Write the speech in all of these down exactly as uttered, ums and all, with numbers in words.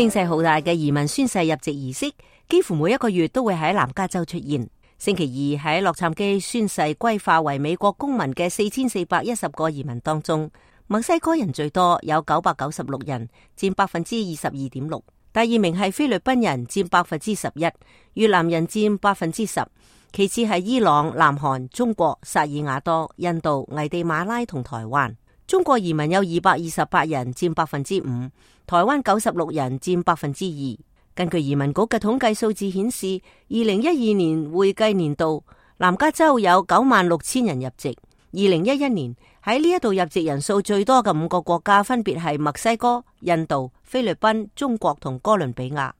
聲勢浩大嘅移民宣誓入籍儀式，幾乎每一個月都會喺南加州出現。星期二喺洛杉磯宣誓歸化為美國公民嘅四千四百一十個移民當中，墨西哥人最多，有九百九十六人，佔百分之二十二點六。第二名係菲律賓人，佔百分之十一，越南人佔百分之十，其次係伊朗、南韓、中國、薩爾瓦多、印度、危地馬拉同台灣。中國移民有二百二十八人，佔百分之五，台灣九十六人，佔百分之二。根據移民局嘅統計數字顯示，二零一二年會計年度南加州有九萬六千人入籍。二零一一年喺呢一度入籍人數最多嘅五個國家分別係墨西哥、印度、菲律賓、中國同哥倫比亞。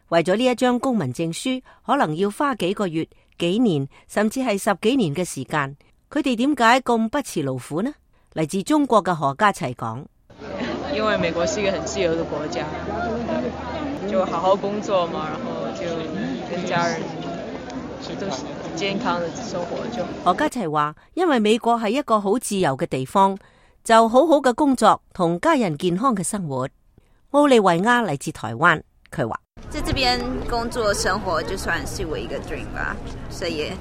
為咗呢一張公民證書，可能要花幾個月、幾年，甚至係十幾年嘅時間。佢哋點解咁不辭勞苦呢？嚟自中國嘅何家齊講：因為美國是一個很自由的國家，就好好工作嘛，然後就跟家人都健康的生活就。何家齊話：因為美國係一個好自由嘅地方，就好好嘅工作同家人健康嘅生活。奧利維亞嚟自台灣，佢話：在這邊工作生活就算是我一個 dream 吧，所以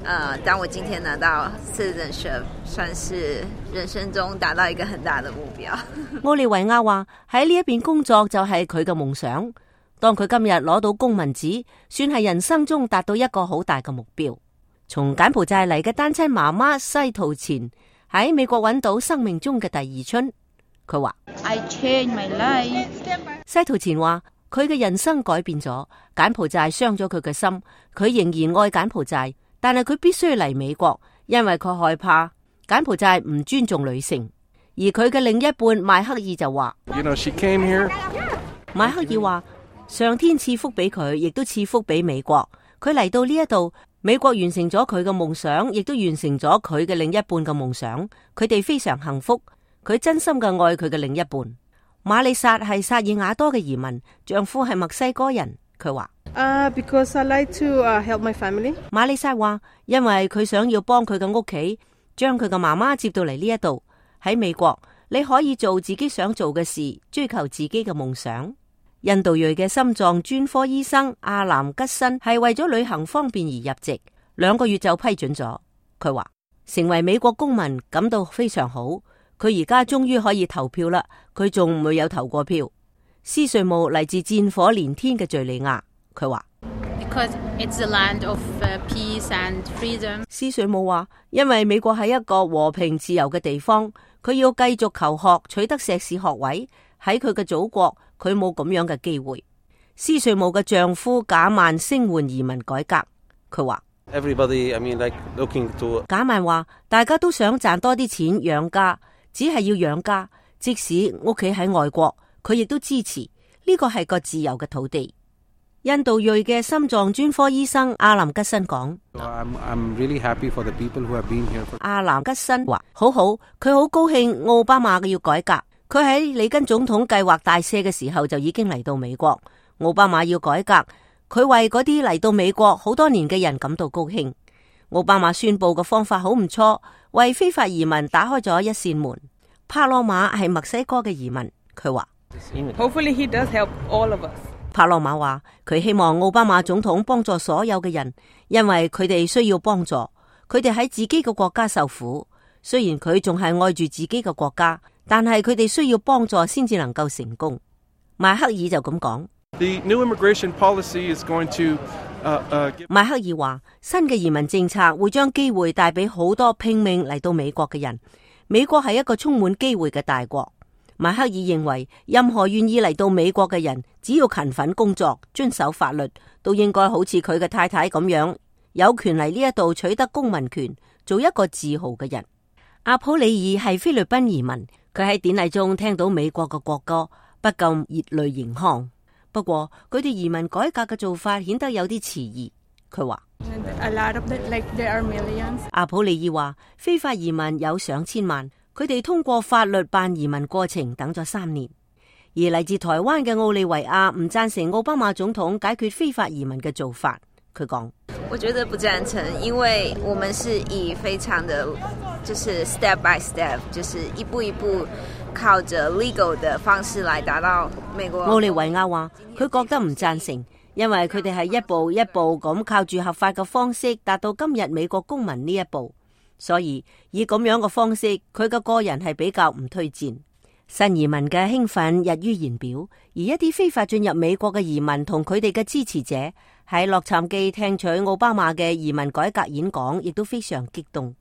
呃，當我今天拿到 citizenship， 算是人生中達到一個很大的目標。奧利維亞話：喺呢一邊工作就係佢嘅夢想。當佢今日攞到公民紙，算係人生中達到一個好大嘅目標。從柬埔寨嚟嘅單親媽媽西圖前喺美國揾到生命中嘅第二春。佢話 I changed my life。西圖前話佢嘅人生改變咗，柬埔寨傷咗佢嘅心，佢仍然愛柬埔寨，但係佢必須嚟美國，因為佢害怕柬埔寨唔尊重女性。而佢嘅另一半邁克爾就話 You know, she came here。邁克爾話上天賜福俾佢，亦都賜福俾美國。佢嚟到呢一度，美國完成咗佢嘅夢想，亦都完成咗佢嘅另一半嘅夢想。佢哋非常幸福，佢真心嘅愛佢嘅另一半。瑪麗莎係薩爾瓦多嘅移民，丈夫係墨西哥人。佢話Uh, because I like to uh, help my family。瑪麗莎話，因為佢想要幫佢嘅屋企，將佢嘅媽媽接到嚟呢一度。喺美國，你可以做自己想做嘅事，追求自己嘅夢想。印度裔嘅心臟專科醫生阿南吉辛係為咗旅行方便而入籍，兩個月就批准咗。佢話成為美國公民感到非常好，佢而家終於可以投票啦。佢仲未有投過票。斯瑞姆嚟自戰火連天嘅敘利亞，佢話 Because it's a land of peace and freedom。斯瑞姆話，因為美國係一個和平自由嘅地方，佢要繼續求學，取得碩士學位。喺佢嘅祖國，佢冇咁樣嘅機會。斯瑞姆嘅丈夫賈曼聲援移民改革，佢話 Everybody, I mean, like looking to。賈曼話，大家都想賺多啲錢養家，只係要養家，即使屋企喺外國，佢亦都支持。呢個係個自由嘅土地。印度裔嘅心臟專科醫生阿南吉辛講 I'm, I'm really happy for the people who have been here for。阿南吉辛話好好，佢好高興奧巴馬嘅要改革。佢喺里根總統計劃大赦嘅時候就已經嚟到美國。奧巴馬要改革，佢為嗰啲嚟到美國好多年嘅人感到高興。奧巴馬宣布嘅方法好唔錯，為非法移民打開咗一扇門。帕洛馬係墨西哥嘅移民，佢話 Hopefully he does help all of us。帕洛馬話佢希望奧巴馬總統幫助所有嘅人，因為佢哋需要幫助。佢哋喺自己嘅國家受苦，雖然佢仲係愛住自己嘅國家，但係佢哋需要幫助先至能夠成功。邁克爾就咁講。The new immigration policy is going to, uh, uh, give... 邁克爾話新嘅移民政策會將機會帶俾好多拼命嚟到美國嘅人。美國係一個充滿機會嘅大國。邁克爾認為任何願意嚟到美國嘅人，只要勤奮工作、遵守法律，都應該好似佢嘅太太咁樣，有權嚟呢一度取得公民權，做一個自豪嘅人。阿普里爾係菲律賓移民，佢喺典禮中聽到美國嘅國歌，不禁熱淚盈眶。不過佢對移民改革嘅做法顯得有啲遲疑。佢話 A lot of the, like, there are millions。阿普里爾話非法移民有上千萬。佢哋通過法律辦移民過程等咗三年，而嚟自台灣嘅奧利維亞唔贊成奧巴馬總統解決非法移民嘅做法。佢講：我覺得不贊成，因為我們是以非常的，就是 step by step，就是一步一步靠着 legal 的方式來達到美國。奧利維亞話佢覺得唔贊成，因為佢哋係一步一步咁靠住合法嘅方式達到今日美國公民呢一步，所以以咁樣嘅方式，佢嘅個人係比較唔推薦。新移民嘅興奮溢於言表，而一啲非法進入美國嘅移民同佢哋嘅支持者喺洛杉磯聽取奧巴馬嘅移民改革演講，亦都非常激動。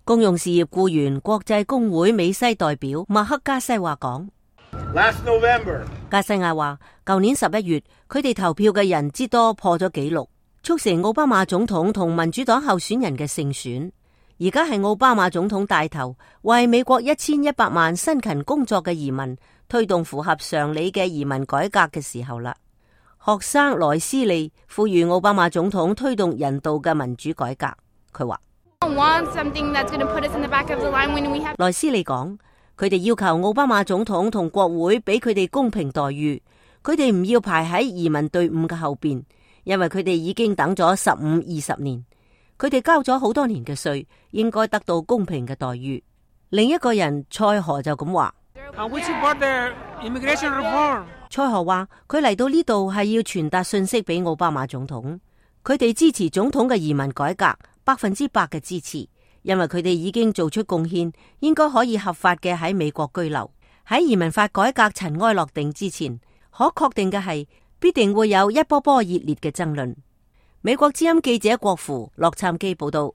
公用事業僱員國際工會美西代表麥克加西話講 Last November， 加西亞話舊年十一月佢哋投票嘅人之多破咗紀錄，促成奧巴馬總統同民主黨候選人嘅勝選。而家係奧巴馬總統帶頭為美國一千一百萬辛勤工作嘅移民推動符合常理嘅移民改革嘅時候啦。學生萊斯利呼籲奧巴馬總統推動人道嘅民主改革。佢話萊斯利講，佢哋要求奧巴馬總統同國會俾佢哋公平待遇，佢哋唔要排喺移民隊伍嘅後邊，因為佢哋已經等咗十五二十年。佢哋交咗好多年嘅稅，應該得到公平嘅待遇。另一個人蔡河就咁話，蔡河話佢嚟到呢度係要傳達信息俾奧巴馬總統，佢哋支持總統嘅移民改革，百分之百嘅支持，因為佢哋已經做出貢獻，應該可以合法嘅喺美國居留。喺移民法改革塵埃落定之前，可確定嘅係必定會有一波波熱烈嘅爭論。美國之音記者郭芙洛杉磯報道。